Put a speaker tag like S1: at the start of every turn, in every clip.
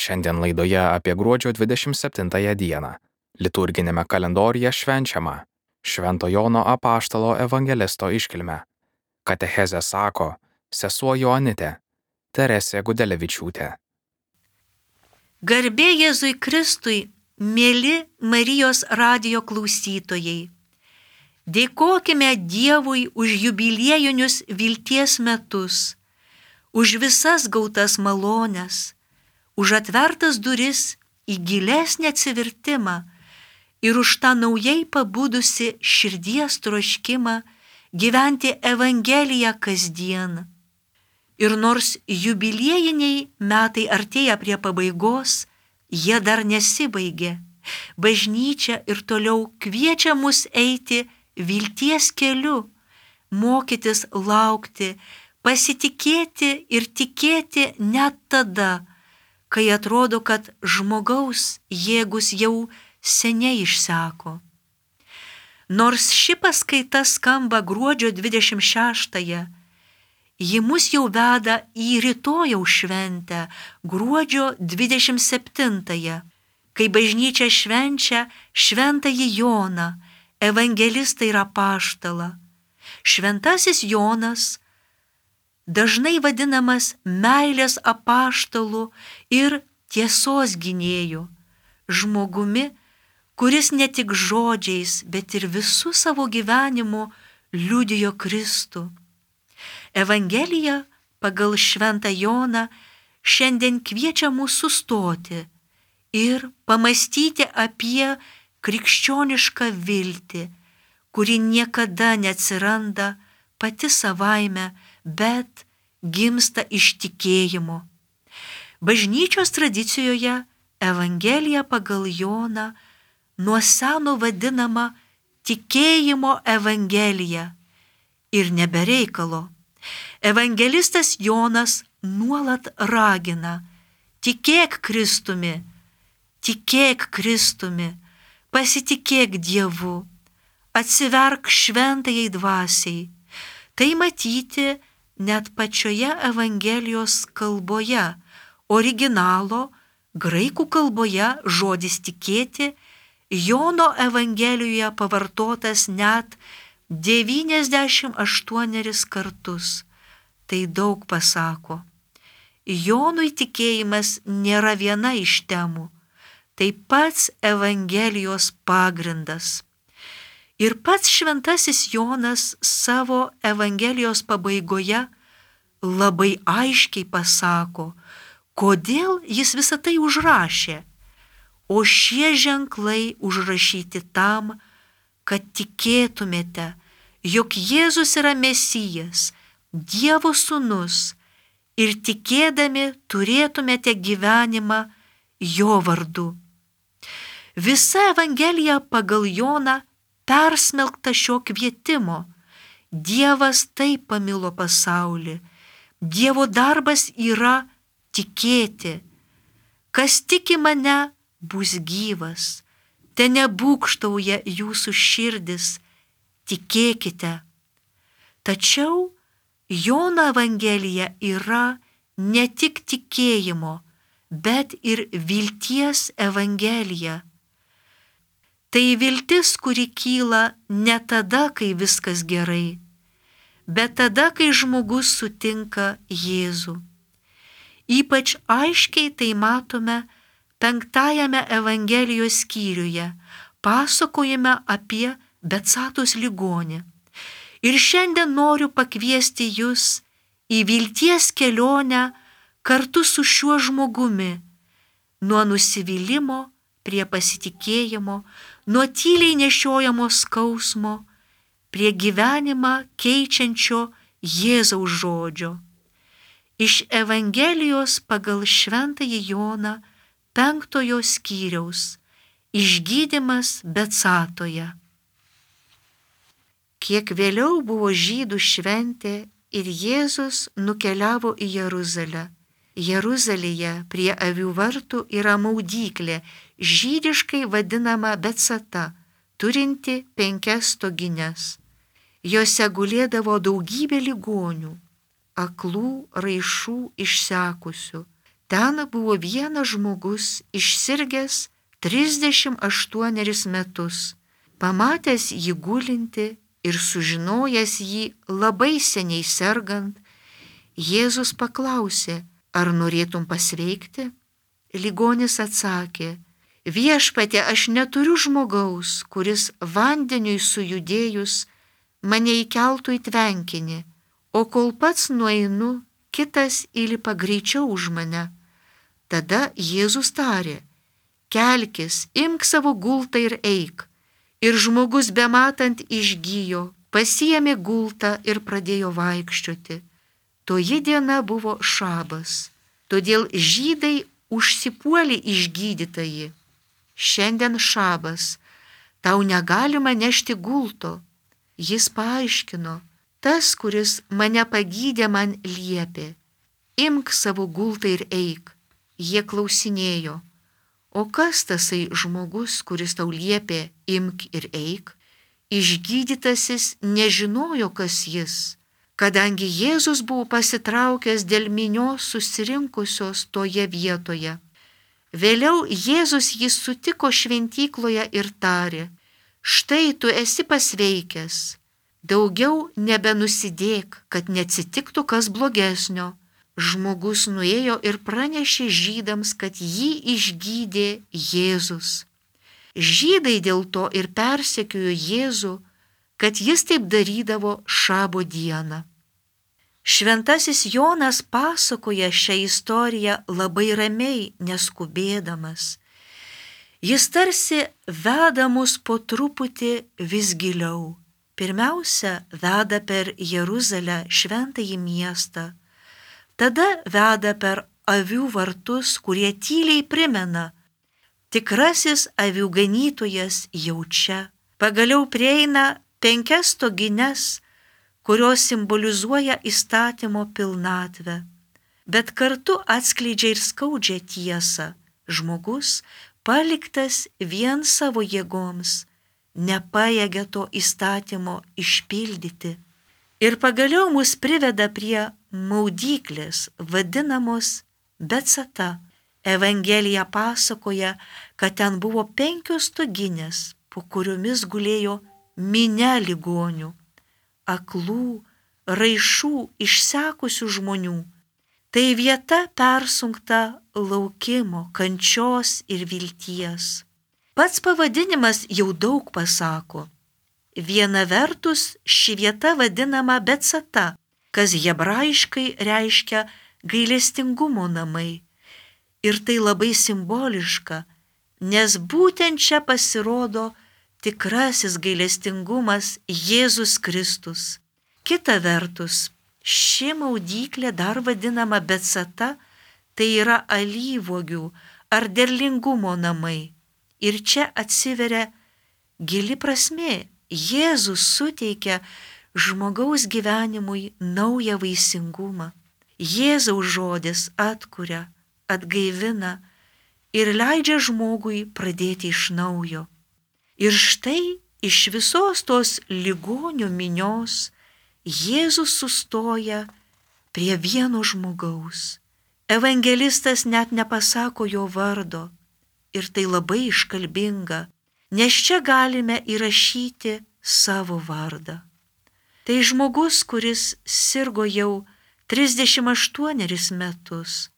S1: Šiandien laidoje apie gruodžio 27 dieną liturginėme kalendoriuje švenčiama Švento Jono Apaštalo evangelisto iškilmę. Katechezė sako sesuo Joanitė Teresė Gudelevičiūtė.
S2: Garbė Jėzui Kristui, mėly Marijos radijo klausytojai. Dėkokime Dievui už jubiliejinius vilties metus, už visas gautas malones, už atvertas duris į gilesnį atsivertimą ir už tą naujai pabudusi širdies troškimą gyventi Evangeliją kasdien. Ir nors jubiliejiniai metai artėja prie pabaigos, jie dar nesibaigė. Bažnyčia ir toliau kviečia mus eiti vilties keliu, mokytis laukti, pasitikėti ir tikėti net tada, kai atrodo, kad žmogaus jėgus jau seniai išseko. Nors ši paskaita skamba gruodžio 26-ąją, ji mus jau veda į rytojaus šventę, gruodžio 27-ąją, kai bažnyčia švenčia Šventąjį Joną, evangelistą ir apaštalą. Šventasis Jonas dažnai vadinamas meilės apaštalu ir tiesos gynėju, žmogumi, kuris ne tik žodžiais, bet ir visų savo gyvenimu liudijo Kristų. Evangelija pagal Šventą Joną šiandien kviečia mus sustoti ir pamastyti apie krikščionišką viltį, kuri niekada neatsiranda pati savaime, bet gimsta iš tikėjimo. Bažnyčios tradicijoje Evangelija pagal Joną nuo seno vadinama tikėjimo Evangelija ir nebereikalo. Evangelistas Jonas nuolat ragina: tikėk Kristumi, pasitikėk Dievu, atsiverk šventajai dvasiai. Tai matyti net pačioje Evangelijos kalboje, originalo, graikų kalboje žodis tikėti Jono Evangelijoje pavartotas net 98 kartus. Tai daug pasako. Jonui tikėjimas nėra viena iš temų, tai pats Evangelijos pagrindas. Ir pats šventasis Jonas savo Evangelijos pabaigoje labai aiškiai pasako, kodėl jis visą tai užrašė. O šie ženklai užrašyti tam, kad tikėtumėte, jog Jėzus yra Mesijas, Dievo sūnus, ir tikėdami turėtumėte gyvenimą jo vardu. Visa Evangelija pagal Joną persmelkta šio kvietimo. Dievas taip pamilo pasaulį. Dievo darbas yra tikėti. Kas tiki mane, bus gyvas. Te nebūgštauja jūsų širdis. Tikėkite. Tačiau Jono Evangelija yra ne tik tikėjimo, bet ir vilties Evangelija. Tai viltis, kuri kyla ne tada, kai viskas gerai, bet tada, kai žmogus sutinka Jėzų. Ypač aiškiai tai matome 5 Evangelijos skyriuje, pasakojime apie Betsatos ligonį. Ir šiandien noriu pakviesti jus į vilties kelionę kartu su šiuo žmogumi, nuo nusivylimo prie pasitikėjimo, nuo tyliai nešiojamo skausmo, prie gyvenimą keičiančio Jėzaus žodžio. Iš Evangelijos pagal Šventąjį Joną 5 skyriaus išgydymas Betsatoje. Kiek vėliau buvo žydų šventė ir Jėzus nukeliavo į Jeruzalę. Jeruzalėje prie avių vartų yra maudyklė, žydiškai vadinama Betsata, turinti 5 stogines. Jose gulėdavo daugybė ligonių, aklų, raišų, išsekusių. Ten buvo vienas žmogus išsirgęs 38 metus. Pamatęs jį gulinti ir sužinojęs jį labai seniai sergant, Jėzus paklausė, ar norėtum pasveikti? Ligonis atsakė, viešpatie, aš neturiu žmogaus, kuris vandeniui sujudėjus mane įkeltų į tvenkinį, o kol pats nueinu, kitas įlipa greičiau už mane. Tada Jėzus tarė, kelkis, imk savo gultą ir eik. Ir žmogus bematant išgijo, pasiėmė gultą ir pradėjo vaikščioti. Toji diena buvo šabas, todėl žydai užsipuolė išgydytąjį. Šiandien šabas, tau negalima nešti gulto. Jis paaiškino, tas, kuris mane pagydė, man liepė, imk savo gultą ir eik. Jie klausinėjo, o kas tasai žmogus, kuris tau liepė, imk ir eik? Išgydytasis nežinojo, kas jis, kadangi Jėzus buvo pasitraukęs dėl minios susirinkusios toje vietoje. Vėliau Jėzus jį sutiko šventykloje ir tarė, štai tu esi pasveikęs, daugiau nebenusidėk, kad neatsitiktų kas blogesnio. Žmogus nuėjo ir pranešė žydams, kad jį išgydė Jėzus. Žydai dėl to ir persekiojo Jėzų, kad jis taip darydavo šabo dieną. Šventasis Jonas pasakoja šią istoriją labai ramiai, neskubėdamas. Jis tarsi veda mus po truputį vis giliau. Pirmiausia, veda per Jeruzalę, šventąjį miestą. Tada veda per avių vartus, kurie tyliai primena, tikrasis avių ganytojas jau čia. Pagaliau prieina 5 stogines, kurios simbolizuoja įstatymo pilnatvę, bet kartu atskleidžia ir skaudžią tiesą. Žmogus, paliktas vien savo jėgoms, nepajėgia to įstatymo išpildyti. Ir pagaliau mus priveda prie maudyklės, vadinamos Betsata. Evangelija pasakoja, kad ten buvo 5 stoginės, po kuriomis gulėjo minia ligonių, aklų, raišų, išsekusių žmonių. Tai vieta persunkta laukimo, kančios ir vilties. Pats pavadinimas jau daug pasako. Viena vertus ši vieta vadinama Betsata, kas hebrajiškai reiškia gailestingumo namai. Ir tai labai simboliška, nes būtent čia pasirodo tikrasis gailestingumas Jėzus Kristus. Kita vertus, ši maudyklė dar vadinama Betsata, tai yra alyvuogių ar derlingumo namai. Ir čia atsiveria gili prasmė. Jėzus suteikia žmogaus gyvenimui naują vaisingumą. Jėzaus žodis atkuria, atgaivina ir leidžia žmogui pradėti iš naujo. Ir štai iš visos tos ligonių minios Jėzus sustoja prie vieno žmogaus. Evangelistas net nepasako jo vardo ir tai labai iškalbinga, nes čia galime įrašyti savo vardą. Tai žmogus, kuris sirgo jau 38 metus.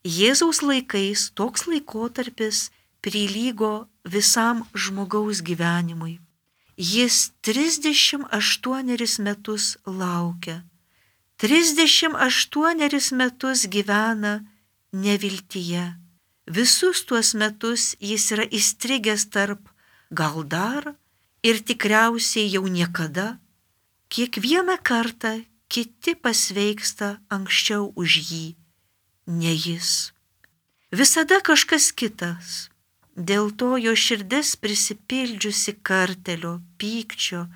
S2: Jėzaus laikais toks laikotarpis prilygo visam žmogaus gyvenimui. Jis 38 metus laukia. 38 metus gyvena neviltyje. Visus tuos metus jis yra įstrigęs tarp gal dar ir tikriausiai jau niekada. Kiekvieną kartą kiti pasveiksta anksčiau už jį, ne jis. Visada kažkas kitas. Dėl to jo širdis prisipildžiusi kartelio, pykčio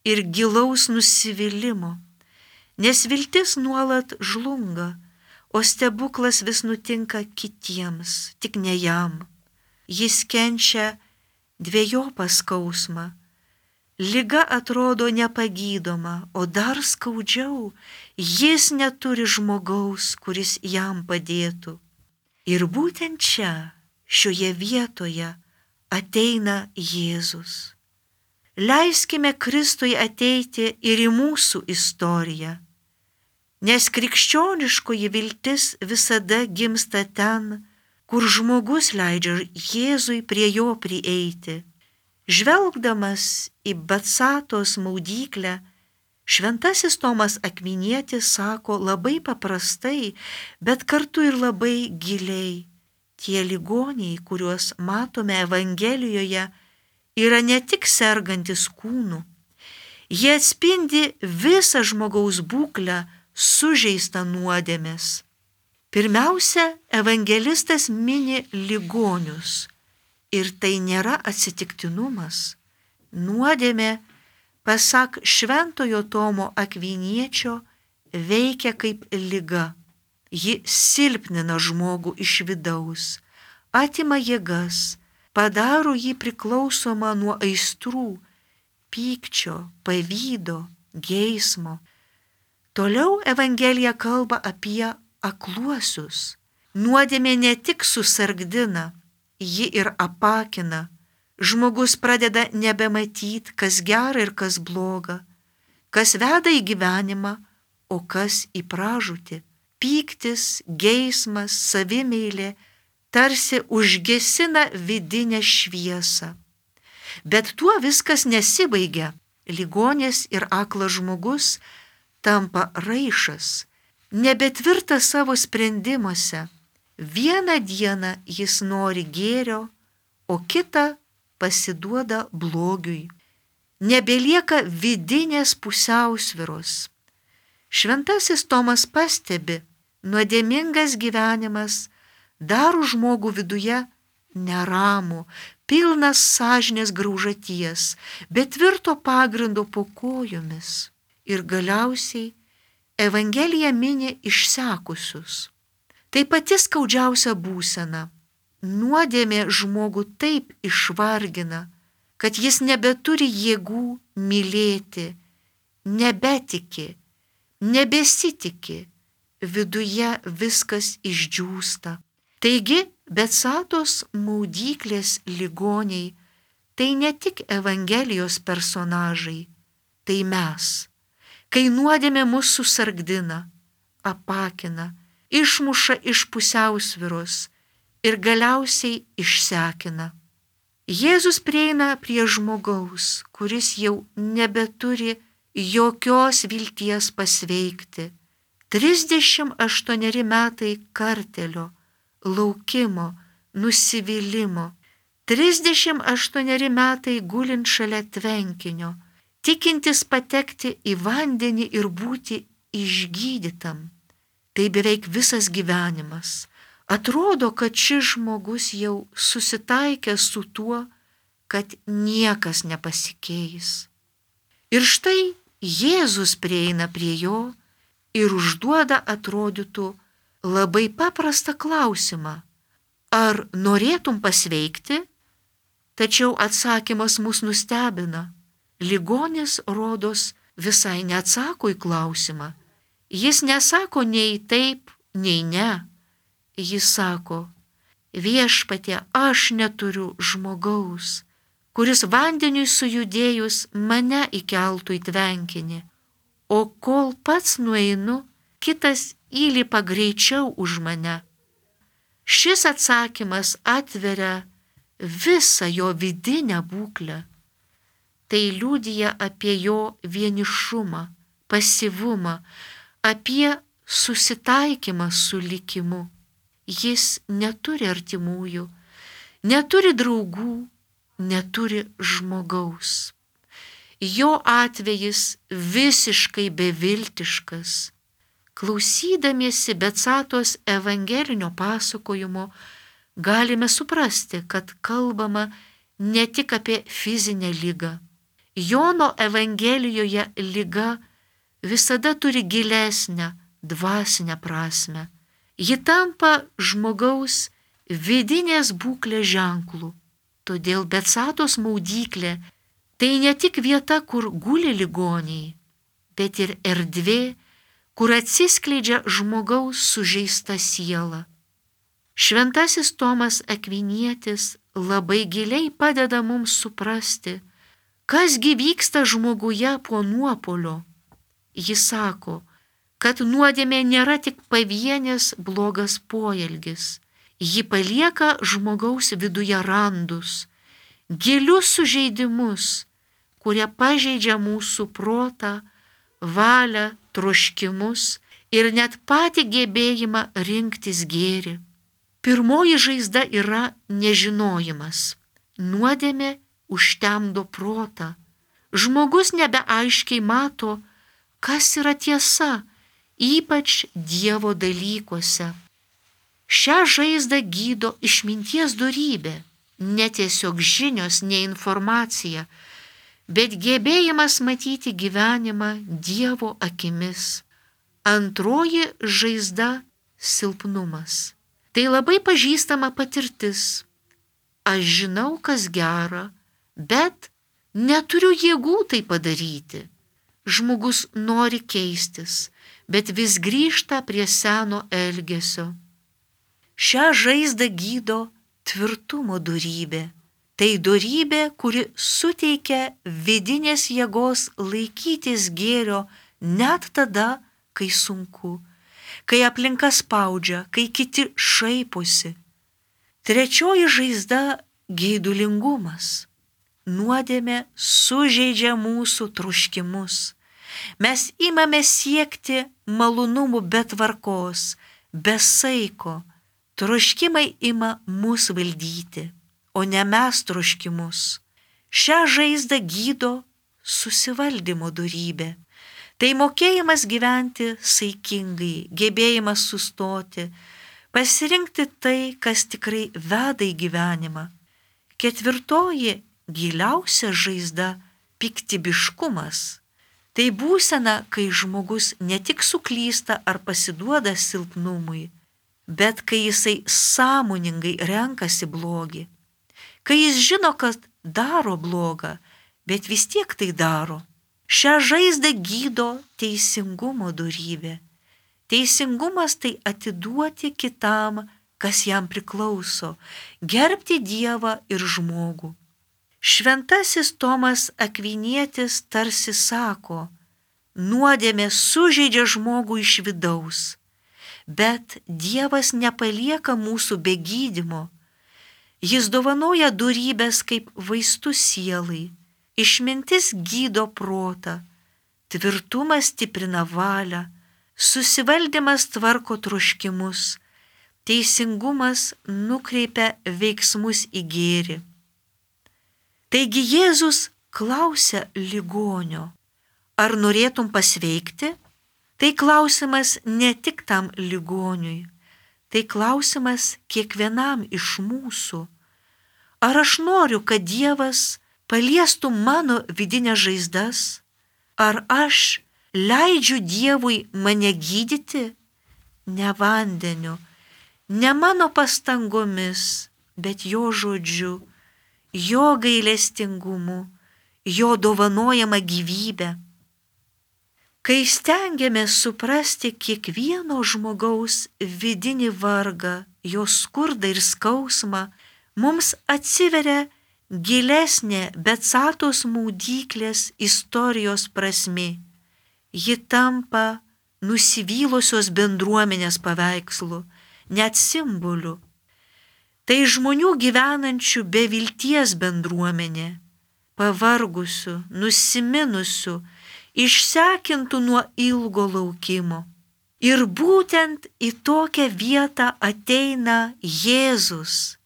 S2: ir gilaus nusivylimo. Nes viltis nuolat žlunga, o stebuklas vis nutinka kitiems, tik ne jam. Jis kenčia dvejopą skausmą. Liga atrodo nepagydoma, o dar skaudžiau, jis neturi žmogaus, kuris jam padėtų. Ir būtent čia, šioje vietoje, ateina Jėzus. Leiskime Kristui ateiti ir į mūsų istoriją, nes krikščioniškoji viltis visada gimsta ten, kur žmogus leidžia Jėzui prie jo prieiti. Žvelgdamas į Betsatos maudyklę, šventasis Tomas Akvinietis sako labai paprastai, bet kartu ir labai giliai. Tie ligoniai, kuriuos matome Evangelijoje, yra ne tik sergantis kūnu. Jie atspindi visą žmogaus būklę sužeistą nuodėmės. Pirmiausia, evangelistas mini ligonius. Ir tai nėra atsitiktinumas. Nuodėmė, pasak šventojo Tomo Akviniečio, veikia kaip liga. Ji silpnina žmogų iš vidaus, atima jėgas, padaro jį priklausomą nuo aistrų, pykčio, pavydo, geismo. Toliau Evangelija kalba apie akluosius. Nuodėmė ne tik susargdina, ji ir apakina. Žmogus pradeda nebematyti, kas gera ir kas bloga, kas veda į gyvenimą, o kas į pražūtį. Pyktis, geismas, savimeilė tarsi užgesina vidinę šviesą. Bet tuo viskas nesibaigia. Ligonis ir aklas žmogus tampa raišas, nebetvirtas savo sprendimuose. Vieną dieną jis nori gėrio, o kitą pasiduoda blogiui. Nebelieka vidinės pusiausvyros. Šventasis Tomas pastebi, nuodėmingas gyvenimas daro žmogų viduje neramų, pilnas sąžinės graužaties, bet tvirto pagrindo po kojomis. Ir galiausiai Evangelija mini išsekusius. Tai pati skaudžiausia būsena. Nuodėmė žmogų taip išvargina, kad jis nebeturi jėgų mylėti, nebetiki, nebesitiki, viduje viskas išdžiūsta. Taigi, Betsatos maudyklės ligoniai tai ne tik Evangelijos personažai, tai mes. Kai nuodėmė mus susargdina, apakina, išmuša iš pusiausvyros ir galiausiai išsekina. Jėzus prieina prie žmogaus, kuris jau nebeturi jokios vilties pasveikti. 38 metai kartelio, laukimo, nusivylimo. 38 metai gulint šalia tvenkinio, tikintis patekti į vandenį ir būti išgydytam. Tai beveik visas gyvenimas. Atrodo, kad šis žmogus jau susitaikė su tuo, kad niekas nepasikeis. Ir štai Jėzus prieina prie jo ir užduoda atrodytų labai paprastą klausimą. Ar norėtum pasveikti? Tačiau atsakymas mus nustebina. Ligonis, rodos, visai neatsako į klausimą. Jis nesako nei taip, nei ne. Jis sako, viešpatie, aš neturiu žmogaus, kuris vandeniui sujudėjus mane įkeltų į tvenkinį, o kol pats nueinu, kitas įlipa greičiau už mane. Šis atsakymas atveria visą jo vidinę būklę. Tai liudija apie jo vienišumą, pasyvumą, apie susitaikymą su likimu. Jis neturi artimųjų, neturi draugų, neturi žmogaus. Jo atvejis visiškai beviltiškas. Klausydamiesi Betsatos evangelinio pasakojimo, galime suprasti, kad kalbama ne tik apie fizinę ligą. Jono Evangelijoje liga visada turi gilesnę, dvasinę prasme. Ji tampa žmogaus vidinės būklės ženklų. Todėl Betsatos maudyklė tai ne tik vieta, kur guli ligoniai, bet ir erdvė, kur atsiskleidžia žmogaus sužeista siela. Šventasis Tomas Akvinietis labai giliai padeda mums suprasti, kasgi vyksta žmoguje po nuopuolio. Jis sako, kad nuodėmė nėra tik pavienės blogas poelgis. Ji palieka žmogaus viduje randus, gilius sužeidimus, kurie pažeidžia mūsų protą, valią, troškimus ir net patį gebėjimą rinktis gėrį. Pirmoji žaizda yra nežinojimas. Nuodėmė užtemdo protą. Žmogus nebeaiškiai mato, kas yra tiesa, ypač Dievo dalykuose. Šią žaizdą gydo išminties dorybė, ne tiesiog žinios, ne informacija, bet gebėjimas matyti gyvenimą Dievo akimis. Antroji žaizda – silpnumas. Tai labai pažįstama patirtis. Aš žinau, kas gera, bet neturiu jėgų tai padaryti. Žmogus nori keistis, bet vis grįžta prie seno elgesio. Šią žaizdą gydo tvirtumo dorybė. Tai dorybė, kuri suteikia vidinės jėgos laikytis gėrio net tada, kai sunku, kai aplinka spaudžia, kai kiti šaiposi. Trečioji žaizda – geidulingumas. Nuodėmė sužeidžia mūsų troškimus. Mes imame siekti malonumų be tvarkos, be saiko. Troškimai ima mus valdyti, o ne mes troškimus. Šią žaizdą gydo susivaldymo dorybė. Tai mokėjimas gyventi saikingai, gebėjimas sustoti, pasirinkti tai, kas tikrai veda į gyvenimą. Ketvirtoji giliausia žaizda – piktybiškumas. Tai būsena, kai žmogus ne tik suklysta ar pasiduoda silpnumui, bet kai jisai sąmoningai renkasi blogį. Kai jis žino, kad daro blogą, bet vis tiek tai daro. Šią žaizdą gydo teisingumo dorybė. Teisingumas tai atiduoti kitam, kas jam priklauso, gerbti Dievą ir žmogų. Šventasis Tomas Akvinietis tarsi sako, nuodėmė sužeidžia žmogų iš vidaus, bet Dievas nepalieka mūsų be gydymo. Jis dovanoja dorybės kaip vaistus sielai, išmintis gydo protą, tvirtumas stiprina valią, susivaldymas tvarko troškimus, teisingumas nukreipia veiksmus į gėrį. Taigi Jėzus klausia ligonio, ar norėtum pasveikti? Tai klausimas ne tik tam ligoniui, tai klausimas kiekvienam iš mūsų. Ar aš noriu, kad Dievas paliestų mano vidinės žaizdas? Ar aš leidžiu Dievui mane gydyti? Ne vandeniu, ne mano pastangomis, bet jo žodžiu, jo gailestingumu, jo dovanojama gyvybė. Kai stengiamės suprasti kiekvieno žmogaus vidinį vargą, jo skurdą ir skausmą, mums atsiveria gilesnė Betsatos maudyklės istorijos prasmė. Ji tampa nusivylusios bendruomenės paveikslu, net simboliu. Tai žmonių gyvenančių be vilties bendruomenė, pavargusių, nusiminusių, išsekintų nuo ilgo laukimo. Ir būtent į tokią vietą ateina Jėzus.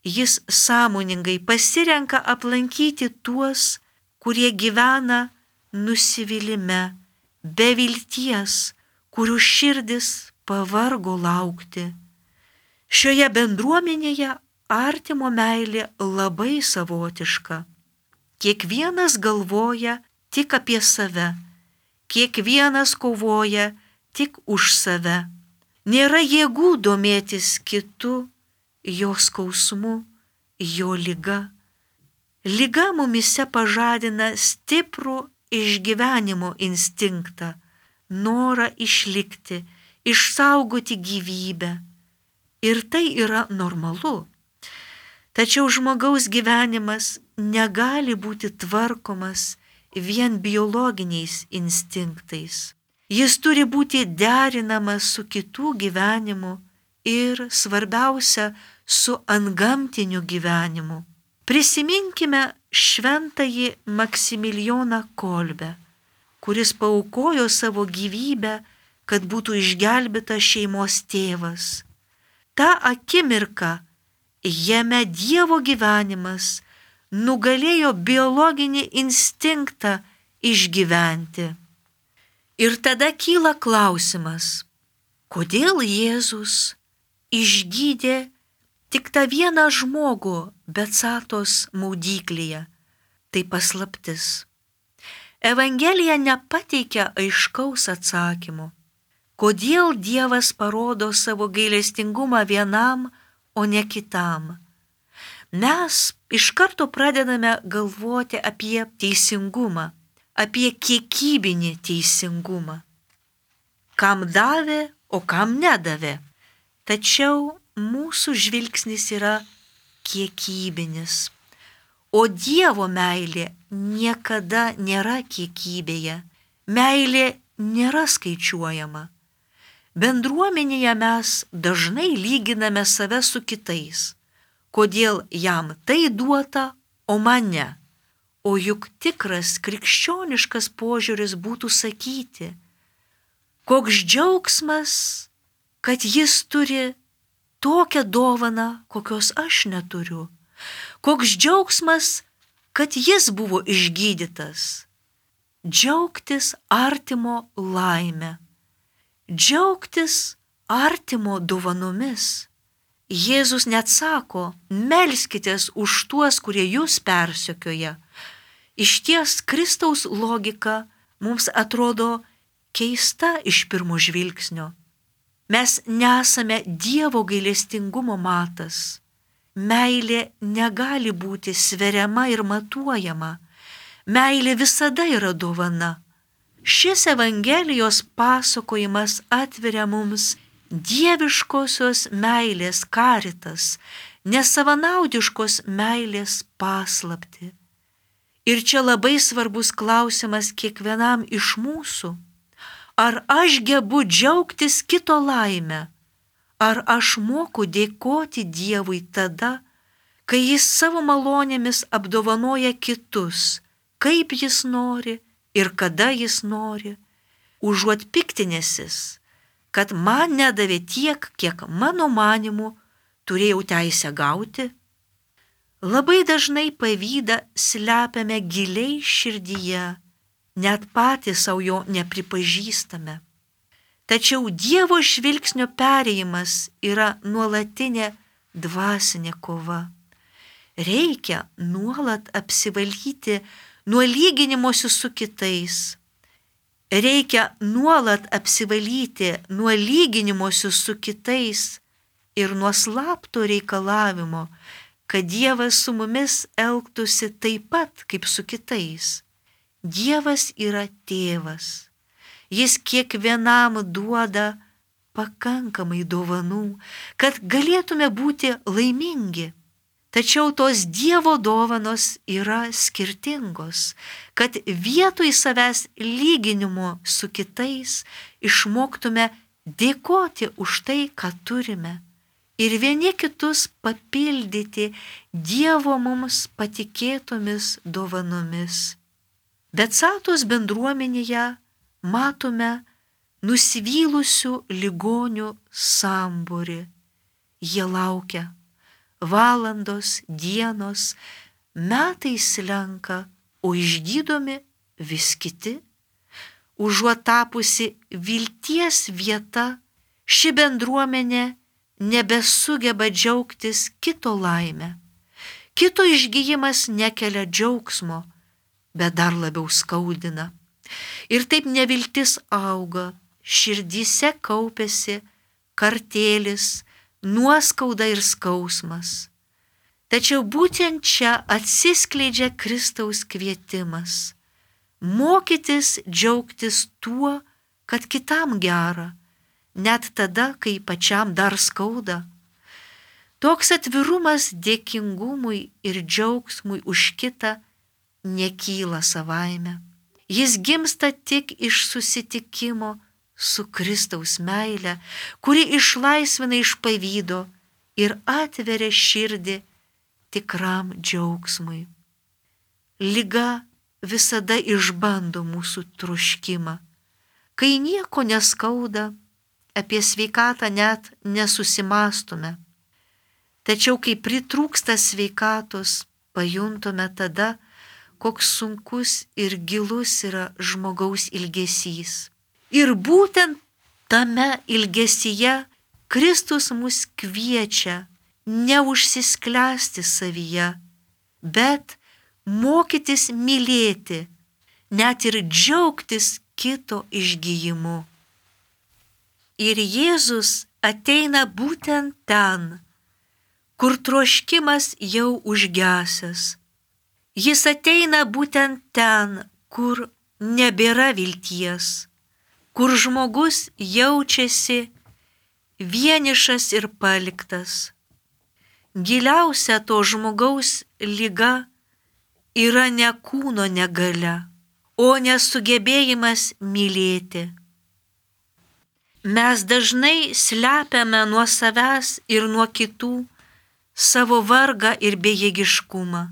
S2: Jis sąmoningai pasirenka aplankyti tuos, kurie gyvena nusivylime, be vilties, kurių širdis pavargo laukti. Šioje bendruomenėje artimo meilė labai savotiška. Kiekvienas galvoja tik apie save, kiekvienas kovoja tik už save. Nėra jėgų domėtis kitu, jo skausmu, jo liga. Liga mumise pažadina stiprų išgyvenimo instinktą, norą išlikti, išsaugoti gyvybę. Ir tai yra normalu. Tačiau žmogaus gyvenimas negali būti tvarkomas vien biologiniais instinktais. Jis turi būti derinamas su kitų gyvenimu ir, svarbiausia, su antgamtiniu gyvenimu. Prisiminkime šventąjį Maksimilijoną Kolbę, kuris paaukojo savo gyvybę, kad būtų išgelbėtas šeimos tėvas. Ta akimirka jame Dievo gyvenimas nugalėjo biologinį instinktą išgyventi. Ir tada kyla klausimas, kodėl Jėzus išgydė tik tą vieną žmogų Betsatos maudyklėje? Tai paslaptis. Evangelija nepateikia aiškaus atsakymo, kodėl Dievas parodo savo gailestingumą vienam, o ne kitam. Mes iš karto pradedame galvoti apie teisingumą, apie kiekybinį teisingumą. Kam davė, o kam nedavė. Tačiau mūsų žvilgsnis yra kiekybinis. O Dievo meilė niekada nėra kiekybėje. Meilė nėra skaičiuojama. Bendruomenėje mes dažnai lyginame save su kitais. Kodėl jam tai duota, o man ne? O juk tikras krikščioniškas požiūris būtų sakyti, koks džiaugsmas, kad jis turi tokią dovaną, kokios aš neturiu. Koks džiaugsmas, kad jis buvo išgydytas. Džiaugtis artimo laime. Džiaugtis artimo dovanomis. Jėzus net sako, melskitės už tuos, kurie jūs persekioja. Išties Kristaus logika mums atrodo keista iš pirmo žvilgsnio. Mes nesame Dievo gailestingumo matas. Meilė negali būti sveriama ir matuojama. Meilė visada yra dovana. Šis Evangelijos pasakojimas atveria mums dieviškosios meilės karitas, nesavanaudiškos meilės paslaptį. Ir čia labai svarbus klausimas kiekvienam iš mūsų. Ar aš gebu džiaugtis kito laimę? Ar aš moku dėkoti Dievui tada, kai Jis savo malonėmis apdovanoja kitus, kaip Jis nori ir kada Jis nori, užuot piktinęsis, kad man nedavė tiek, kiek mano manimu turėjau teisę gauti? Labai dažnai pavydą slepiame giliai širdyje, net patys savo jo nepripažįstame. Tačiau Dievo žvilgsnio perėjimas yra nuolatinė dvasinė kova. Reikia nuolat apsivalyti nuo lyginimosi su kitais. Reikia nuolat apsivalyti nuo lyginimosi su kitais ir nuo slapto reikalavimo, kad Dievas su mumis elgtųsi taip pat kaip su kitais. Dievas yra tėvas. Jis kiekvienam duoda pakankamai dovanų, kad galėtume būti laimingi. Tačiau tos Dievo dovanos yra skirtingos, kad vietoj savęs lyginimo su kitais išmoktume dėkoti už tai, ką turime, ir vieni kitus papildyti Dievo mums patikėtomis dovanomis. Betsatos bendruomenėje matome nusivylusių ligonių sambūrį. Jie laukia. Valandos, dienos, metai slenka, o išgydomi vis kiti. Užuot tapusi vilties vieta, ši bendruomenė nebesugeba džiaugtis kito laimę. Kito išgyjimas nekelia džiaugsmo, bet dar labiau skaudina. Ir taip neviltis auga, širdyse kaupiasi kartėlis, nuoskauda ir skausmas. Tačiau būtent čia atsiskleidžia Kristaus kvietimas – mokytis džiaugtis tuo, kad kitam gera, net tada, kai pačiam dar skauda. Toks atvirumas dėkingumui ir džiaugsmui už kitą nekyla savaime. Jis gimsta tik iš susitikimo su Kristaus meile, kuri išlaisvina iš pavydo ir atveria širdį tikram džiaugsmui. Liga visada išbando mūsų troškimą. Kai nieko neskauda, apie sveikatą net nesusimastume. Tačiau kai pritrūksta sveikatos, pajuntame tada, koks sunkus ir gilus yra žmogaus ilgesys. Ir būtent tame ilgesyje Kristus mus kviečia neužsisklęsti savyje, bet mokytis mylėti, net ir džiaugtis kito išgijimu. Ir Jėzus ateina būtent ten, kur troškimas jau užgesęs. Jis ateina būtent ten, kur nebėra vilties, kur žmogus jaučiasi vienišas ir paliktas. Giliausia to žmogaus liga yra ne kūno negalia, o nesugebėjimas mylėti. Mes dažnai slepiame nuo savęs ir nuo kitų savo vargą ir bejėgiškumą.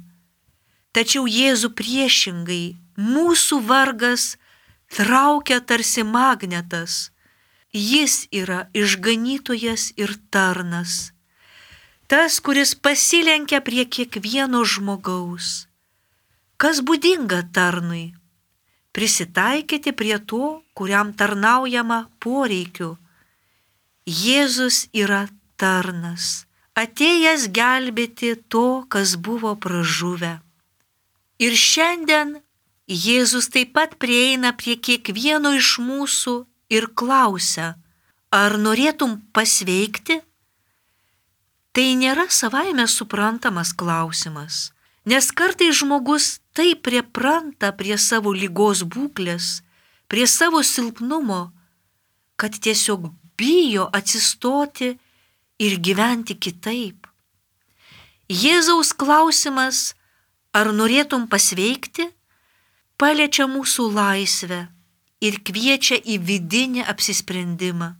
S2: Tačiau Jėzų priešingai, mūsų vargas traukia tarsi magnetas. Jis yra išganytojas ir tarnas. Tas, kuris pasilenkia prie kiekvieno žmogaus. Kas būdinga tarnui? Prisitaikyti prie to, kuriam tarnaujama poreikiu. Jėzus yra tarnas, atėjęs gelbėti to, kas buvo pražuvę. Ir šiandien Jėzus taip pat prieina prie kiekvieno iš mūsų ir klausia, ar norėtum pasveikti? Tai nėra savaime suprantamas klausimas, nes kartais žmogus taip pripranta prie savo ligos būklės, prie savo silpnumo, kad tiesiog bijo atsistoti ir gyventi kitaip. Jėzaus klausimas, ar norėtum pasveikti, paliečia mūsų laisvę ir kviečia į vidinį apsisprendimą.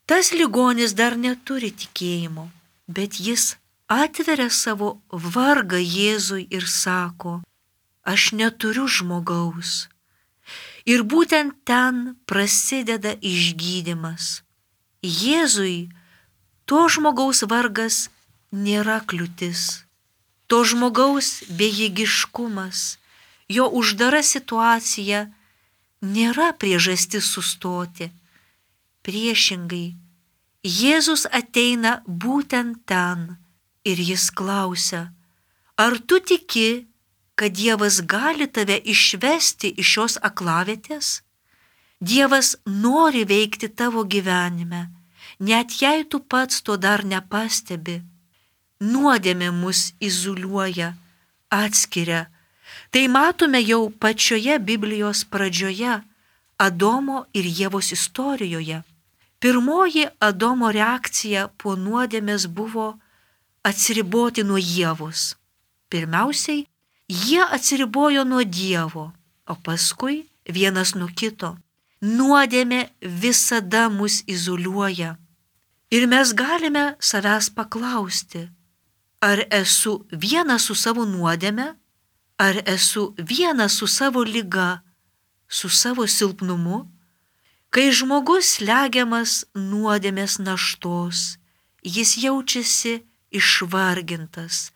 S2: Tas ligonis dar neturi tikėjimo, bet jis atveria savo vargą Jėzui ir sako, aš neturiu žmogaus. Ir būtent ten prasideda išgydymas. Jėzui to žmogaus vargas nėra kliūtis. To žmogaus bejėgiškumas, jo uždara situacija nėra priežastis sustoti. Priešingai, Jėzus ateina būtent ten ir jis klausia, ar tu tiki, kad Dievas gali tave išvesti iš šios aklavietės? Dievas nori veikti tavo gyvenime, net jei tu pats to dar nepastebi. Nuodėmė mus izoliuoja, atskiria. Tai matome jau pačioje Biblijos pradžioje, Adomo ir Ievos istorijoje. Pirmoji Adomo reakcija po nuodėmės buvo atsiriboti nuo Ievos. Pirmiausiai, jie atsiribojo nuo Dievo, o paskui vienas nuo kito. Nuodėmė visada mus izoliuoja. Ir mes galime savęs paklausti, ar esu vienas su savo nuodėme, ar esu vienas su savo liga, su savo silpnumu? Kai žmogus slegiamas nuodėmės naštos, jis jaučiasi išvargintas,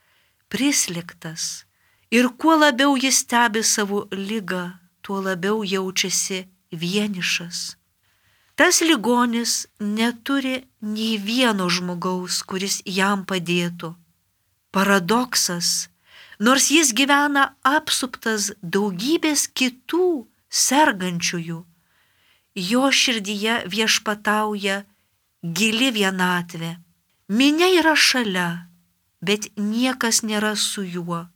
S2: prislėgtas. Ir kuo labiau jis stebi savo ligą, tuo labiau jaučiasi vienišas. Tas ligonis neturi nei vieno žmogaus, kuris jam padėtų. Paradoksas, nors jis gyvena apsuptas daugybės kitų sergančiųjų, jo širdyje viešpatauja gili vienatvė. Minia yra šalia, bet niekas nėra su juo.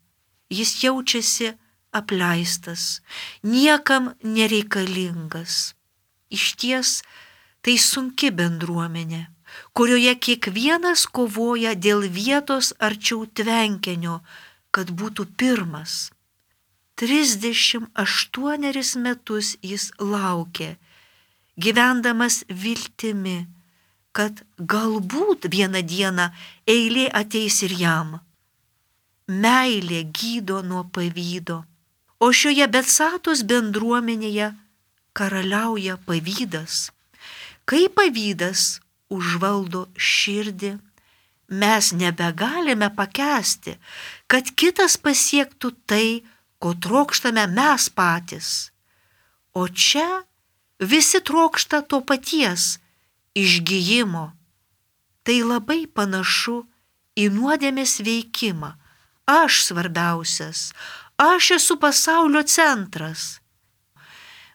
S2: Jis jaučiasi apleistas, niekam nereikalingas. Išties, tai sunki bendruomenė. kurioje kiekvienas kovoja dėl vietos arčiau tvenkinio, kad būtų pirmas. 38 metus jis laukė, gyvendamas viltimi, kad galbūt vieną dieną eilė ateis ir jam. Meilė gydo nuo pavydo, o šioje Betsatos bendruomenėje karaliauja pavydas. Kai pavydas užvaldo širdį, mes nebegalime pakęsti, kad kitas pasiektų tai, ko trokštame mes patys. O čia visi trokšta to paties išgijimo. Tai labai panašu į nuodėmės veikimą. Aš svarbiausias, aš esu pasaulio centras.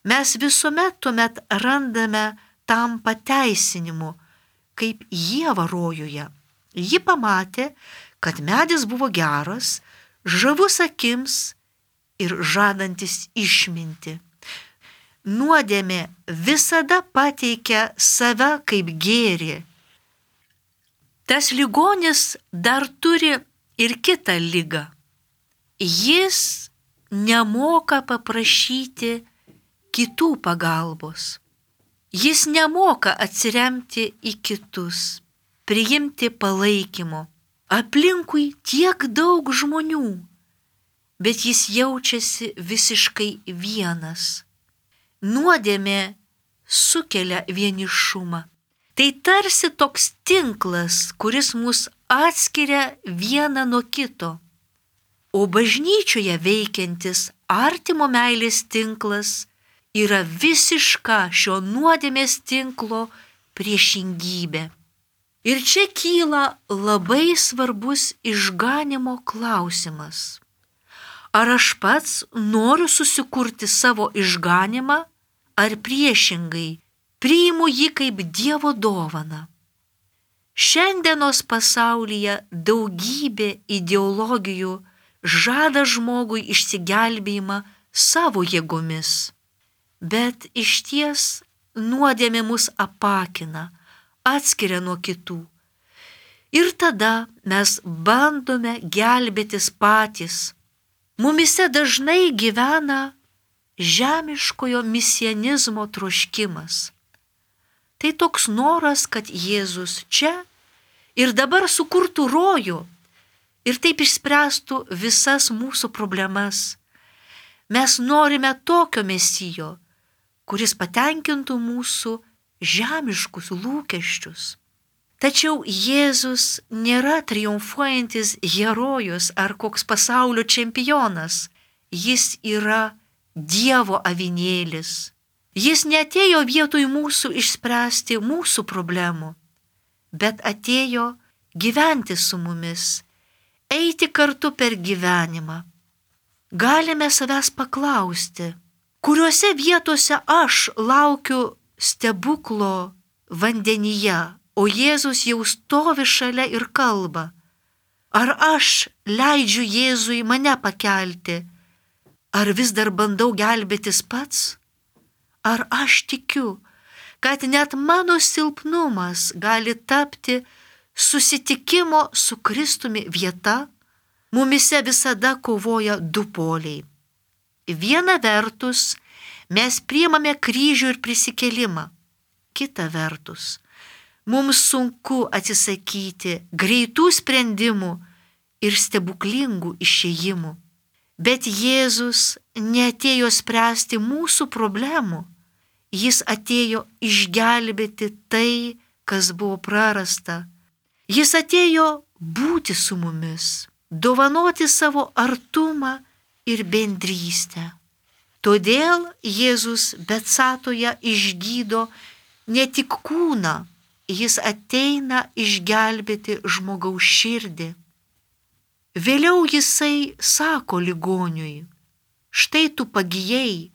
S2: Mes visuomet tuomet randame tam pateisinimu, kaip Ieva rojuje. Ji pamatė, kad medis buvo geras, žavus akims ir žadantis išminti. Nuodėmė visada pateikia save kaip gėrį. Tas ligonis dar turi ir kitą ligą. Jis nemoka paprašyti kitų pagalbos. Jis nemoka atsiremti į kitus, priimti palaikymo. Aplinkui tiek daug žmonių, bet jis jaučiasi visiškai vienas. Nuodėmė sukelia vienišumą. Tai tarsi toks tinklas, kuris mus atskiria vieną nuo kito. O bažnyčioje veikiantis artimo meilės tinklas yra visiška šio nuodėmės tinklo priešingybė. Ir čia kyla labai svarbus išganimo klausimas. Ar aš pats noriu susikurti savo išganimą, ar priešingai priimu jį kaip Dievo dovaną? Šiandienos pasaulyje daugybė ideologijų žada žmogui išsigelbėjimą savo jėgomis. Bet išties nuodėmė mus apakina, atskiria nuo kitų. Ir tada mes bandome gelbėtis patys. Mumise dažnai gyvena žemiškojo misianizmo troškimas. Tai toks noras, kad Jėzus čia ir dabar sukurtų rojų ir taip išspręstų visas mūsų problemas. Mes norime tokio mesijo, kuris patenkintų mūsų žemiškus lūkesčius. Tačiau Jėzus nėra triumfuojantis herojus ar koks pasaulio čempionas. Jis yra Dievo avinėlis. Jis neatėjo vietoj mūsų išspręsti mūsų problemų, bet atėjo gyventi su mumis, eiti kartu per gyvenimą. Galime savęs paklausti, kuriuose vietose aš laukiu stebuklo vandenyje, o Jėzus jau stovi šalia ir kalba. Ar aš leidžiu Jėzui mane pakelti, ar vis dar bandau gelbėtis pats? Ar aš tikiu, kad net mano silpnumas gali tapti susitikimo su Kristumi vieta? Mumise visada kovoja du poliai. Viena vertus mes priimame kryžių ir prisikėlimą. Kita vertus, mums sunku atsisakyti greitų sprendimų ir stebuklingų išėjimų. Bet Jėzus neatėjo spręsti mūsų problemų. Jis atėjo išgelbėti tai, kas buvo prarasta. Jis atėjo būti su mumis, dovanoti savo artumą ir bendrystę. Todėl Jėzus Betsatoje išgydo ne tik kūną, jis ateina išgelbėti žmogaus širdį. Vėliau jisai sako ligoniui, štai tu pagijai,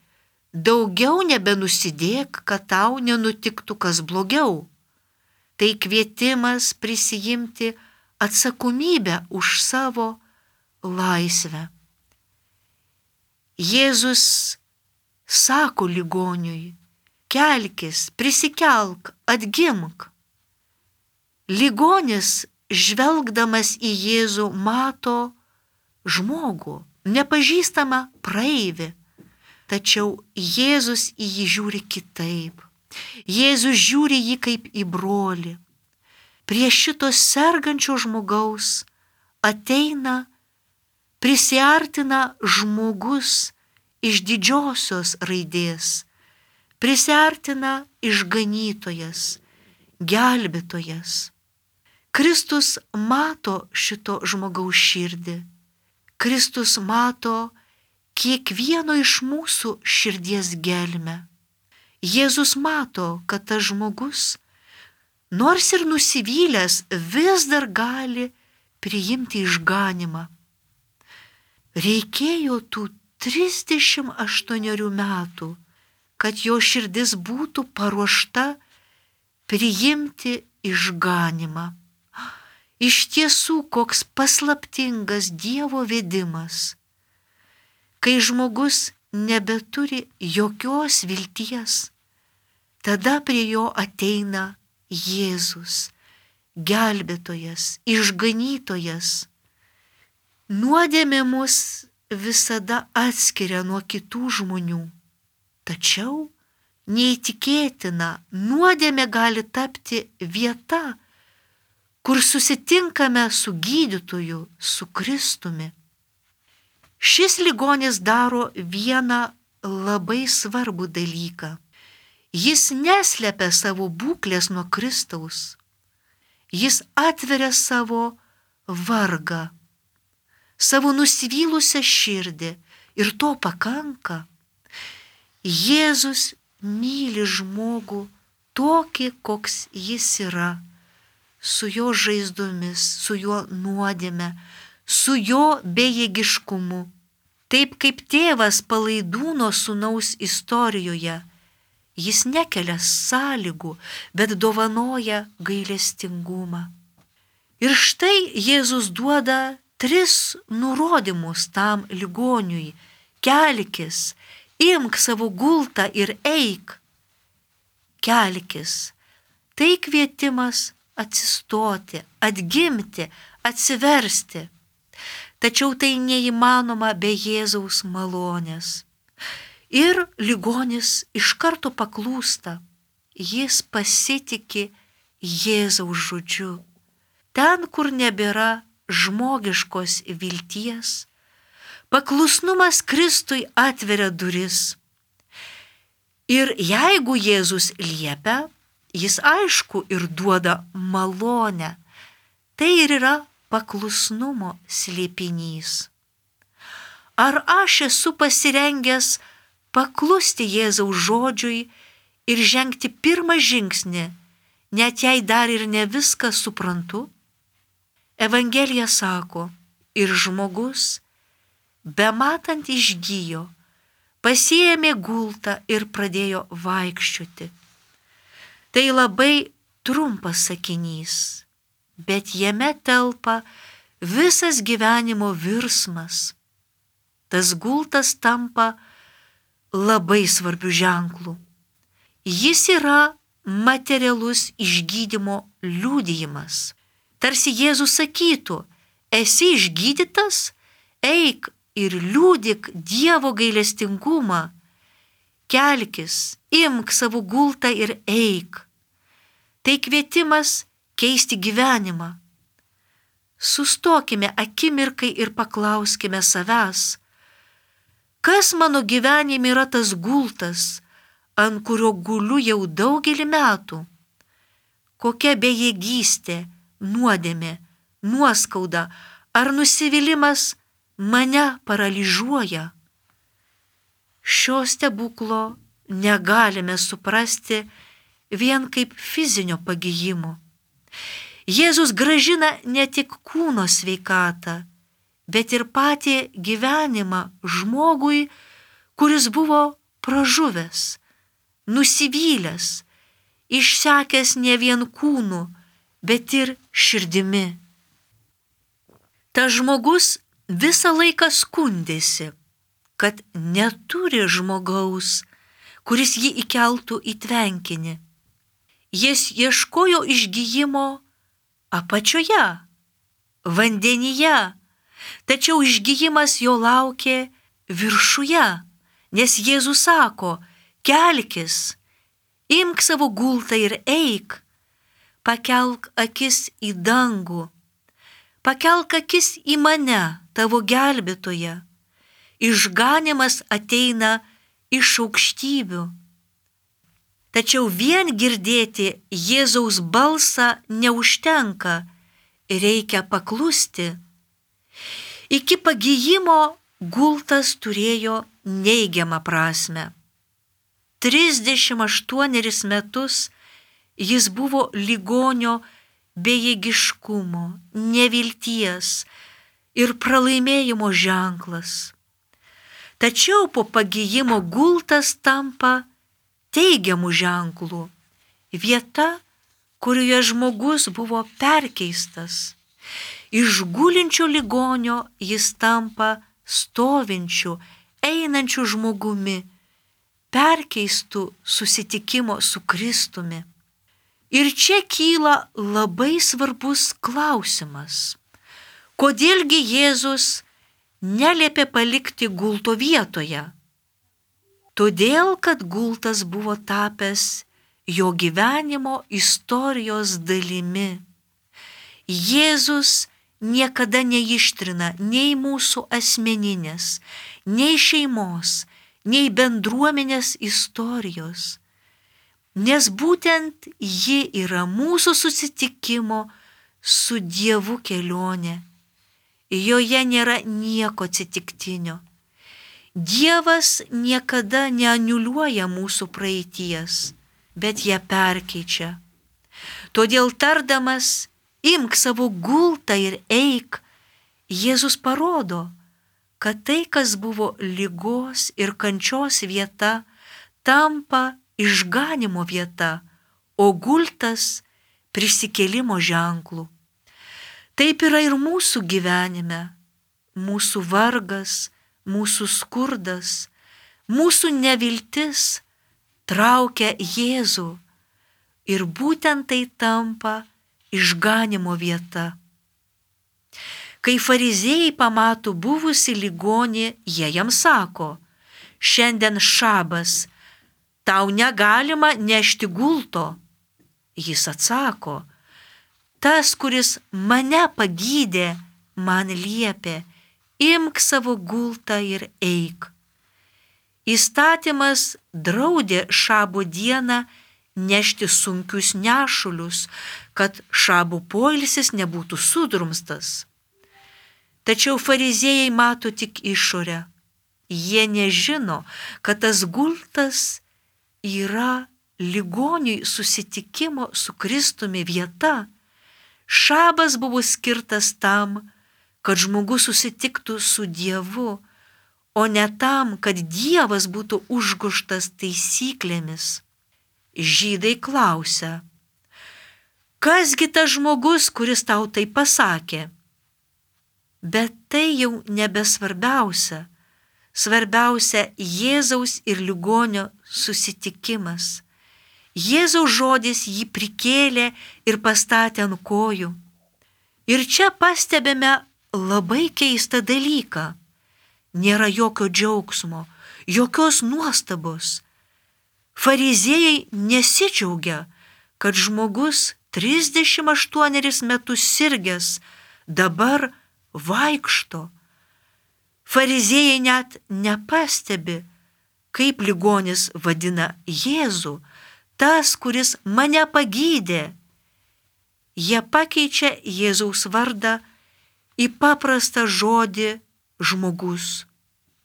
S2: daugiau nebenusidėk, kad tau nenutiktų kas blogiau. Tai kvietimas prisijimti atsakomybę už savo laisvę. Jėzus sako ligoniui, kelkis, prisikelk, atgimk. Ligonis, žvelgdamas į Jėzų, mato žmogų, nepažįstamą praeivį. Tačiau Jėzus į jį žiūri kitaip. Jėzus žiūri jį kaip į brolį. Prie šito sergančio žmogaus ateina, prisiartina žmogus iš didžiosios raidės, prisiartina išganytojas, gelbėtojas. Kristus mato šito žmogaus širdį. Kristus mato kiekvieno iš mūsų širdies gelmę. Jėzus mato, kad tas žmogus, nors ir nusivylęs, vis dar gali priimti išganymą. Reikėjo tų 38 metų, kad jo širdis būtų paruošta priimti išganymą. Iš tiesų, koks paslaptingas Dievo vedimas, kai žmogus nebeturi jokios vilties, tada prie jo ateina Jėzus, gelbėtojas, išganytojas. Nuodėmė mus visada atskiria nuo kitų žmonių, tačiau neįtikėtina, nuodėmė gali tapti vieta, kur susitinkame su gydytoju, su Kristumi. Šis ligonis daro vieną labai svarbų dalyką. Jis neslepia savo būklės nuo Kristaus. Jis atveria savo vargą, savo nusivylusią širdį ir to pakanka. Jėzus myli žmogų tokį, koks jis yra, su jo žaizdomis, su jo nuodėme, su jo bejėgiškumu. Taip kaip tėvas Palaidūno sūnaus istorijoje, jis nekelia sąlygų, bet dovanoja gailestingumą. Ir štai Jėzus duoda 3 nurodymus tam ligoniui: kelkis, imk savo gultą ir eik. Kelkis. Tai kvietimas atsistoti, atgimti, atsiversti. Tačiau tai neįmanoma be Jėzaus malonės. Ir ligonis iš karto paklūsta. Jis pasitiki Jėzaus žodžiu. Ten, kur nebėra žmogiškos vilties, paklusnumas Kristui atveria duris. Ir jeigu Jėzus liepia, jis aišku ir duoda malonę. Tai ir yra paklusnumo slėpinys. Ar aš esu pasirengęs paklusti Jėzaus žodžiui ir žengti pirmą žingsnį, net jei dar ir ne viską suprantu? Evangelija sako, ir žmogus, bematant išgijo, pasiėmė gultą ir pradėjo vaikščioti. Tai labai trumpas sakinys, bet jame telpa visas gyvenimo virsmas. Tas gultas tampa labai svarbių ženklų. Jis yra materialus išgydymo liudijimas. Tarsi Jėzus sakytų, esi išgydytas, eik ir liudyk Dievo gailestingumą. Kelkis, imk savo gultą ir eik. Tai kvietimas keisti gyvenimą. Sustokime akimirkai ir paklauskime savęs, kas mano gyvenime yra tas gultas, ant kurio guliu jau daugelį metų? Kokia bejėgystė, nuodėmė, nuoskauda ar nusivylimas mane paralyžiuoja? Šio stebuklo negalime suprasti vien kaip fizinio pagijimo. Jėzus gražina ne tik kūno sveikatą, bet ir patį gyvenimą žmogui, kuris buvo pražuvęs, nusivylęs, išsekęs ne vien kūnu, bet ir širdimi. Tas žmogus visą laiką skundėsi, kad neturi žmogaus, kuris jį įkeltų į tvenkinį. Jis ieškojo išgijimo apačioje, vandenyje, tačiau išgijimas jo laukė viršuje, nes Jėzus sako, kelkis, imk savo gultą ir eik, pakelk akis į dangų, pakelk akis į mane, tavo gelbėtoją, išganymas ateina iš aukštybių. Tačiau vien girdėti Jėzaus balsą neužtenka, reikia paklusti. Iki pagijimo gultas turėjo neigiamą prasme. 38 metus jis buvo ligonio bejėgiškumo, nevilties ir pralaimėjimo ženklas. Tačiau po pagijimo gultas tampa teigiamų ženklų, vieta, kurioje žmogus buvo perkeistas. Iš gulinčio ligonio jis tampa stovinčiu, einančiu žmogumi, perkeistų susitikimo su Kristumi. Ir čia kyla labai svarbus klausimas. Kodėlgi Jėzus neliepė palikti gulto vietoje? Todėl, kad gultas buvo tapęs jo gyvenimo istorijos dalimi. Jėzus niekada neištrina nei mūsų asmeninės, nei šeimos, nei bendruomenės istorijos, nes būtent ji yra mūsų susitikimo su Dievu kelionė. Joje nėra nieko atsitiktinio. Dievas niekada neaniuliuoja mūsų praeities, bet ją perkeičia. Todėl tardamas, imk savo gultą ir eik, Jėzus parodo, kad tai, kas buvo ligos ir kančios vieta, tampa išganimo vieta, o gultas prisikėlimo ženklų. Taip yra ir mūsų gyvenime. Mūsų vargas, mūsų skurdas, mūsų neviltis traukia Jėzų ir būtent tai tampa išganimo vieta. Kai fariziejai pamato buvusi ligonį, jie jam sako, šiandien šabas, tau negalima nešti gulto. Jis atsako, tas, kuris mane pagydė, man liepė, imk savo gultą ir eik. Įstatymas draudė šabo dieną nešti sunkius nešulius, kad šabo poilsis nebūtų sudrumstas. Tačiau fariziejai mato tik išorę. Jie nežino, kad tas gultas yra ligoniui susitikimo su Kristumi vieta. Šabas buvo skirtas tam, kad žmogus susitiktų su Dievu, o ne tam, kad Dievas būtų užgožtas taisyklėmis. Žydai klausia, kasgi tas žmogus, kuris tau tai pasakė? Bet tai jau nebesvarbiausia. Svarbiausia Jėzaus ir ligonio susitikimas. Jėzaus žodis jį prikėlė ir pastatė ant kojų. Ir čia pastebime labai keistą dalyką. Nėra jokio džiaugsmo, jokios nuostabos. Fariziejai nesidžiaugia, kad žmogus 38 metus sirgęs dabar vaikšto. Fariziejai net nepastebi, kaip ligonis vadina Jėzų, tas, kuris mane pagydė. Jie pakeičia Jėzaus vardą į paprastą žodį žmogus.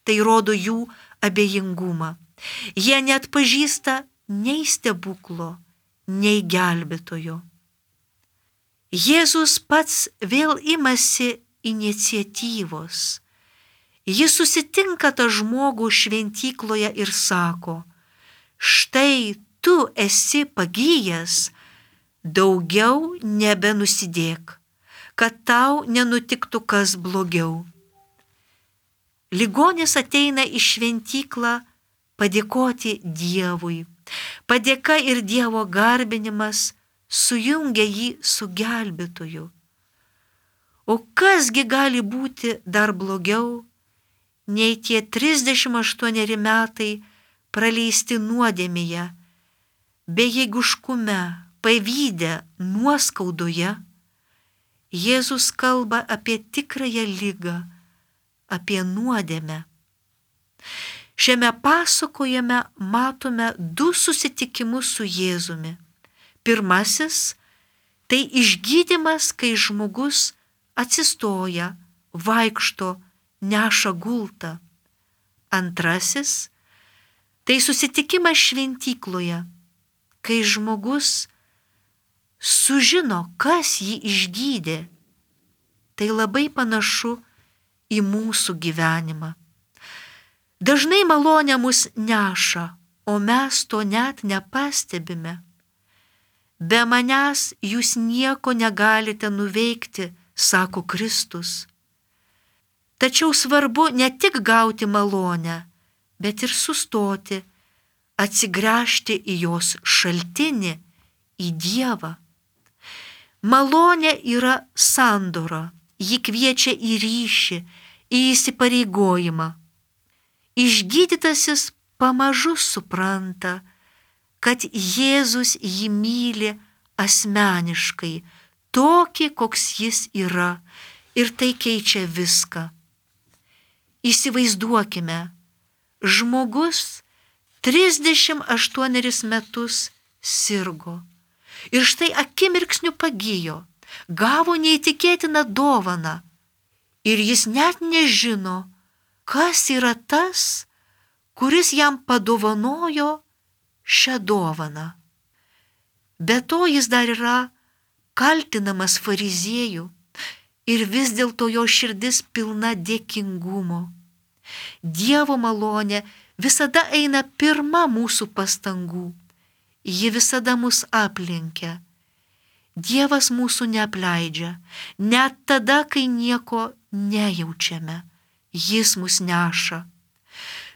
S2: Tai rodo jų abejingumą. Jie neatpažįsta nei stebuklo, nei gelbėtojo. Jėzus pats vėl imasi iniciatyvos. Jis susitinka tą žmogų šventykloje ir sako, štai tu esi pagijęs, daugiau nebenusidėk, kad tau nenutiktų kas blogiau. Ligonis ateina į šventyklą padėkoti Dievui. Padėka ir Dievo garbinimas sujungia jį su gelbėtoju. O kasgi gali būti dar blogiau, nei tie 38 metai praleisti nuodėmėje, bejėgiškume, pavyde, nuoskaudoje. Jėzus kalba apie tikrąją ligą, apie nuodėmę. Šiame pasakojime matome 2 susitikimus su Jėzumi. Pirmasis – tai išgydymas, kai žmogus atsistoja, vaikšto, neša gultą. Antrasis – tai susitikimas šventykloje, kai žmogus sužino, kas jį išgydė. Tai labai panašu į mūsų gyvenimą. Dažnai malonė mus neša, o mes to net nepastebime. Be manęs jūs nieko negalite nuveikti, sako Kristus. Tačiau svarbu ne tik gauti malonę, bet ir sustoti, atsigręžti į jos šaltinį, į Dievą. Malonė yra sandora, ji kviečia į ryšį, į įsipareigojimą. Išgydytasis pamažu supranta, kad Jėzus jį myli asmeniškai, tokį, koks jis yra, ir tai keičia viską. Įsivaizduokime, žmogus 38 metus sirgo ir štai akimirksniu pagijo, gavo neįtikėtiną dovaną ir jis net nežino, kas yra tas, kuris jam padovanojo šią dovaną. Be to jis dar yra kaltinamas fariziejų ir vis dėlto jo širdis pilna dėkingumo. Dievo malonė visada eina pirma mūsų pastangų. Ji visada mus aplenkia. Dievas mūsų neapleidžia, net tada, kai nieko nejaučiame. Jis mus neša.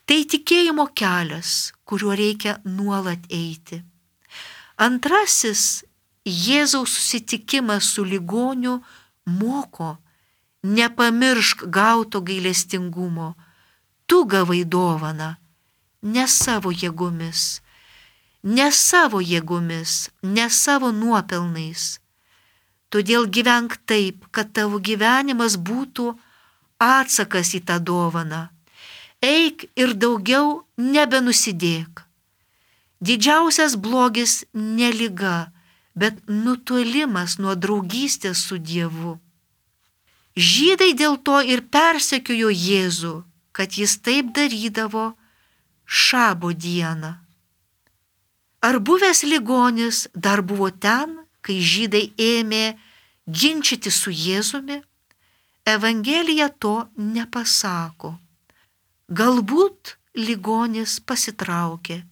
S2: Tai tikėjimo kelias, kuriuo reikia nuolat eiti. Antrasis Jėzaus susitikimas su ligoniu moko: nepamiršk gauto gailestingumo. Tu gavai dovaną, ne savo jėgomis, ne savo nuopelnais. Todėl gyvenk taip, kad tavo gyvenimas būtų atsakas į tą dovaną. Eik ir daugiau nebenusidėk. Didžiausias blogis ne liga, bet nutolimas nuo draugystės su Dievu. Žydai dėl to ir persekiojo Jėzų, kad jis taip darydavo šabo dieną. Ar buvęs ligonis dar buvo ten, kai žydai ėmė ginčyti su Jėzumi? Evangelija to nepasako. Galbūt ligonis pasitraukė.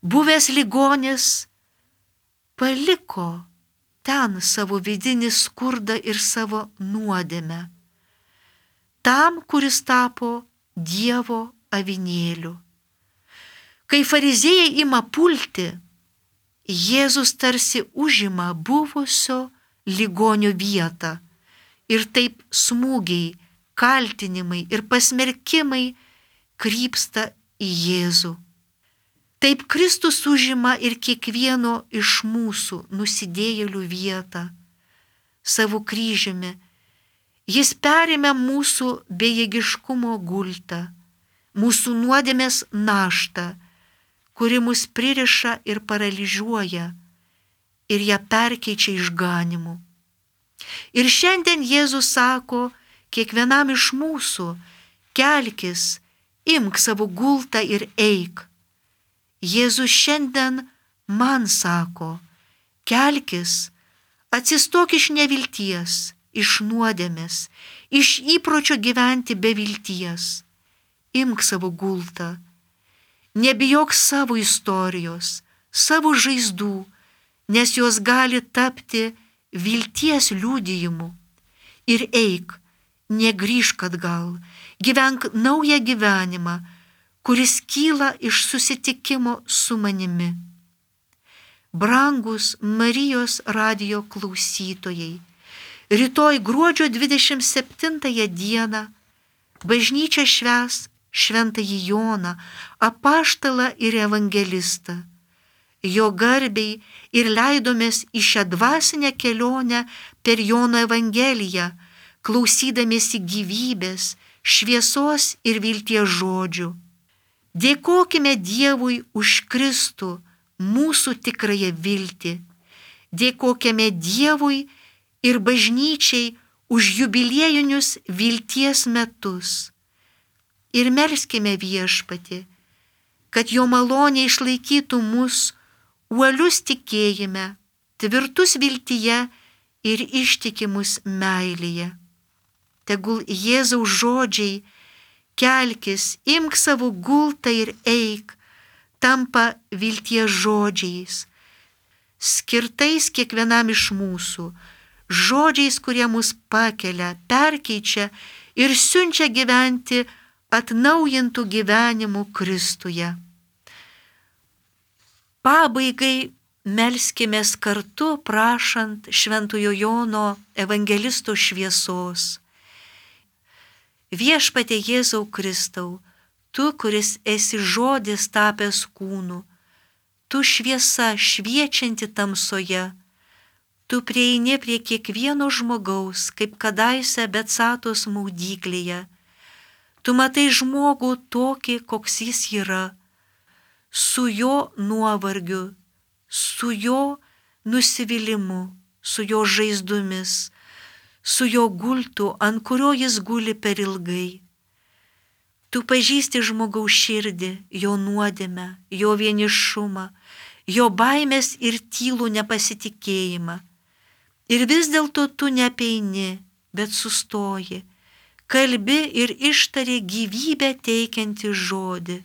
S2: Buvęs ligonis paliko ten savo vidinį skurdą ir savo nuodėmę, tam, kuris tapo Dievo avinėliu. Kai fariziejai ima pulti, Jėzus tarsi užima buvusio ligonio vietą ir taip smūgiai, kaltinimai ir pasmerkimai krypsta į Jėzų. Taip Kristus užima ir kiekvieno iš mūsų nusidėjėlių vietą savo kryžiumi. Jis perėmė mūsų bejėgiškumo gultą, mūsų nuodėmės naštą, kuri mus pririša ir paralyžiuoja ir ją perkeičia išganymu. Ir šiandien Jėzus sako kiekvienam iš mūsų: kelkis, imk savo gultą ir eik. Jėzus šiandien man sako: kelkis, atsistok iš nevilties, iš nuodėmės, iš įpročio gyventi be vilties. Imk savo gultą. Nebijok savo istorijos, savo žaizdų, nes jos gali tapti vilties liudijimu. Ir eik, negrįžk atgal, gyvenk naują gyvenimą, kuris kyla iš susitikimo su manimi. Brangus Marijos radijo klausytojai, rytoj gruodžio 27 dieną bažnyčia švęs Šventąjį Joną, apaštalą ir evangelistą. Jo garbei ir leidomės į šią dvasinę kelionę per Jono Evangeliją, klausydamiesi gyvybės, šviesos ir vilties žodžių. Dėkokime Dievui už Kristų, mūsų tikrąją viltį. Dėkokime Dievui ir bažnyčiai už jubiliejinius vilties metus. Ir melskime Viešpatį, kad jo malonė išlaikytų mus uolius tikėjime, tvirtus viltyje ir ištikimus meilėje. Tegul Jėzaus žodžiai kelkis, imk savo gultą ir eik, tampa vilties žodžiais, skirtais kiekvienam iš mūsų, žodžiais, kurie mus pakelia, perkeičia ir siunčia gyventi atnaujintų gyvenimų Kristuje. Pabaigai melskimės kartu, prašant Šventojo Jono evangelisto šviesos. Viešpatie Jėzau Kristau, tu, kuris esi žodis tapęs kūnu, tu šviesa šviečianti tamsoje, tu prieini prie kiekvieno žmogaus, kaip kadaise Betsatos maudyklėje. Tu matai žmogų tokį, koks jis yra, su jo nuovargiu, su jo nusivylimu, su jo žaizdomis, su jo gultu, ant kurio jis guli per ilgai. Tu pažįsti žmogaus širdį, jo nuodėmę, jo vienišumą, jo baimės ir tylų nepasitikėjimą. Ir vis dėlto tu neapeini, bet sustoji, kalbi ir ištari gyvybę teikiantį žodį.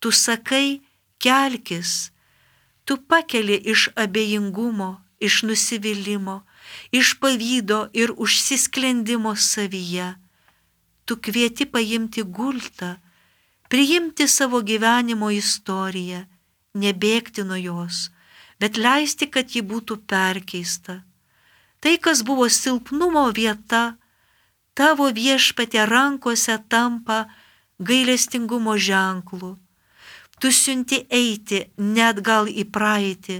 S2: Tu sakai, kelkis, tu pakeli iš abejingumo, iš nusivylimo, iš pavydo ir užsisklendimo savyje. Tu kvieti paimti gultą, priimti savo gyvenimo istoriją, nebėgti nuo jos, bet leisti, kad ji būtų perkeista. Tai, kas buvo silpnumo vieta, tavo Viešpatie rankose tampa gailestingumo ženklu. Tu siunti eiti ne atgal į praeitį,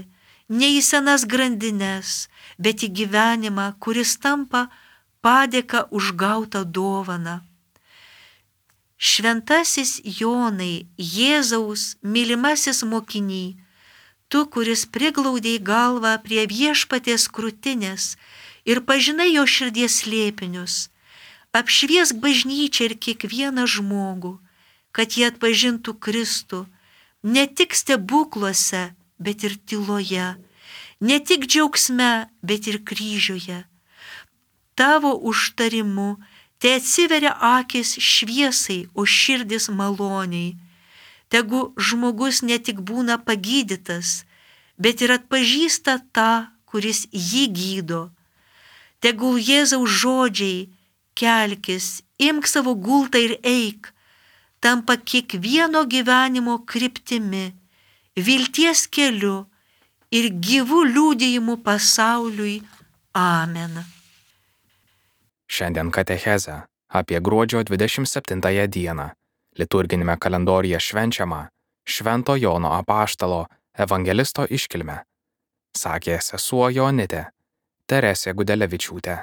S2: ne į senas grandines, bet į gyvenimą, kuris tampa padėka už gautą dovaną. Šventasis Jonai, Jėzaus mylimasis mokiny, tu, kuris priglaudei galvą prie Viešpaties krūtinės ir pažinai jo širdies slėpinius, apšviesk bažnyčią ir kiekvieną žmogų, kad jie atpažintų Kristų, ne tik stebukluose, bet ir tyloje, ne tik džiaugsme, bet ir kryžiuje. Tavo užtarimu te atsiveria akis šviesai, o širdis maloniai. Tegu žmogus ne tik būna pagydytas, bet ir atpažįsta tą, kuris jį gydo. Tegul Jėzaus žodžiai kelkis, imk savo gultą ir eik, tampa kiekvieno gyvenimo kryptimi, vilties keliu ir gyvų liudijimu pasauliui. Amen.
S1: Šiandien katechezė apie gruodžio 27 dieną liturginėme kalendoriuje švenčiama Švento Jono apaštalo evangelisto iškilmę, sakė sesuo Jonitė Teresė Gudelevičiūtė.